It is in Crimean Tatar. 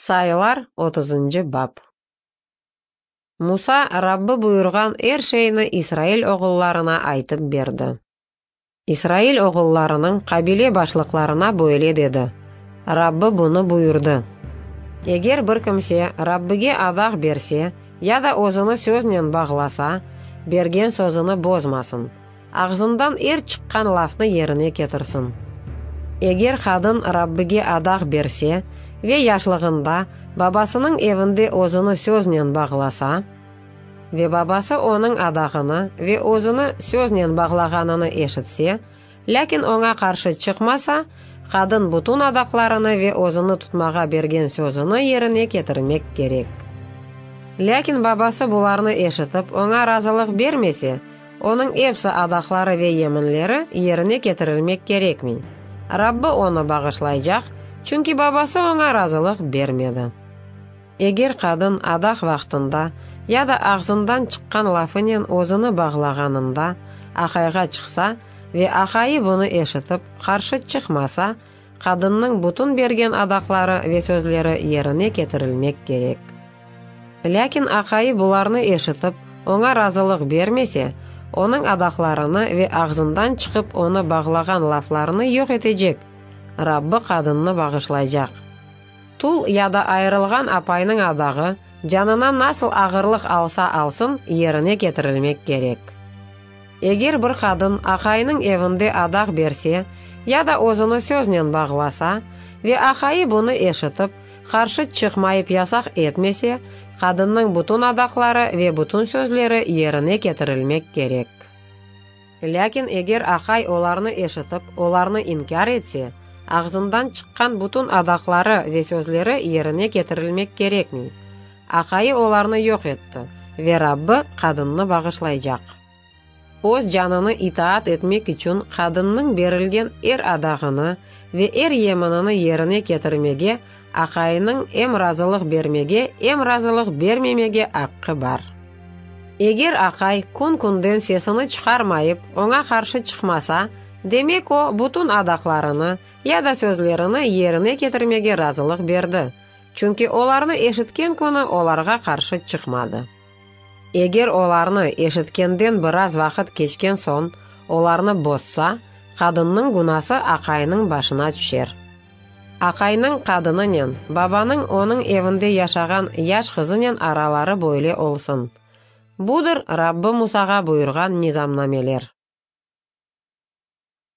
Sayılar, otuzıncı bap. Musa Rabbi buyurğan er şeyni İsrail oğullarına aytıp berdi. İsrail oğullarınıñ qabile başlıqlarına böyle dedi, Rabbi bunı buyurdı, Eger bir kimse Rabbige adaq berse ya da özüni söznen bağlasa, bergen sözüni bozmasın, ağzından er çıqqan lafnı yerine ketirsin. Eger qadın Rabbige adaq berse ve yaşlığında babasınıñ evinde özüni söznen bağlasa, ve babası onıñ adağını ve özüni söznen bağlağanını eşitse, lâkin oña qarşı çıqmasa, qadın bütün adaqlarını ve özüni tutmağa bergen sözüni yerine ketirmek kerek. Lâkin babası bularnı eşitip, oña razılıq bermese, onıñ epsi adaqları ve yeminleri yerine ketirilmek kerekmey. Rabbi onı bağışlaycaq, çünki babası oña razılıq bermedi. Eger qadın adaq vaqtında ya da ağzından çıqqan lafınen özüni bağlağanında aqayğa çıqsa ve aqayı bunı eşitip, qarşı çıqmasa, qadınnıñ bütün bergen adaqları ve sözleri yerine ketirilmek kerek. Lâkin aqayı bularnı eşitip, oña razılıq bermese, onıñ adaqlarını ve ağzından çıqıp onı bağlağan laflarını yoq etecek, Rabbi qadınnı bağışlaycaq. Tul ya da ayırılğan apaynıñ adağı, canına nasıl ağırlıq alsa alsın, yerine ketirilmek kerek. Eger bir qadın aqayınıñ evinde adaq berse ya da özüni söznen bağlasa ve aqayı bunı eşitip, qarşı çıqmayıp yasaq etmese, qadınnıñ bütün adaqları ve bütün sözleri yerine ketirilmek kerek. Lâkin eger aqay olarnı eşitip, olarnı inkâr etse, ağzından çıqqan bütün adaqları ve sözleri yerine ketirilmek kerekmey. Aqayı olarnı yoq etti, ve Rabbi qadınnı bağışlaycaq. Öz canını itaat etmek içün qadınnıñ berilgen er adağını ve er yeminini yerine ketirmege aqayınıñ em razılıq bermege, em razılıq bermemege aqqı bar. Eger aqay kün-künden sesini çıqarmayıp, oña qarşı çıqmasa, demek o, bütün adaqlarını ya da sözlerini yerine ketirmege razılıq berdi, çünki olarnı eşitken künü olarğa qarşı çıqmadı. Eger olarnı eşitkenden biraz vaqıt keçken soñ olarnı bozsa, qadınnıñ günası aqayınıñ başına tüşer. Aqaynıñ qadınınen, babanıñ onıñ evinde yaşağan yaş qızınen araları böyle olsun. Budır Rabbi Musağa buyurğan nizamnameler.